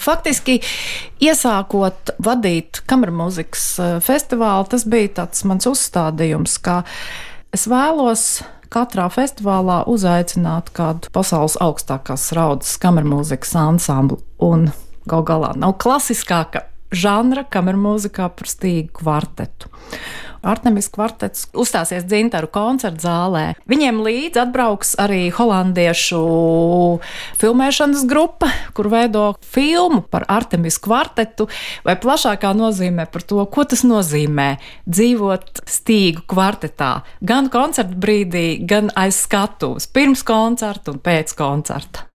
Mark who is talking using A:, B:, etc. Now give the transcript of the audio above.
A: Faktiski, iesākot vadīt kamermūzikas festivālu, tas bija tāds mans uzstādījums, ka es vēlos katrā festivālā uzaicināt kādu pasaules augstākās raudas kamermūzikas ansamblu. Un gal galā nav klasiskāka žanra kamermūzikā par stīgu kvartetu. Artemis kvartets uzstāsies Dzintaru koncertu zālē. Viņiem līdz atbrauks arī holandiešu filmēšanas grupa, kur veido filmu par Artemis kvartetu, vai plašākā nozīmē par to, ko tas nozīmē dzīvot stīgu kvartetā. Gan koncerta brīdī, gan aiz skatuves, pirms koncerta un pēc koncerta.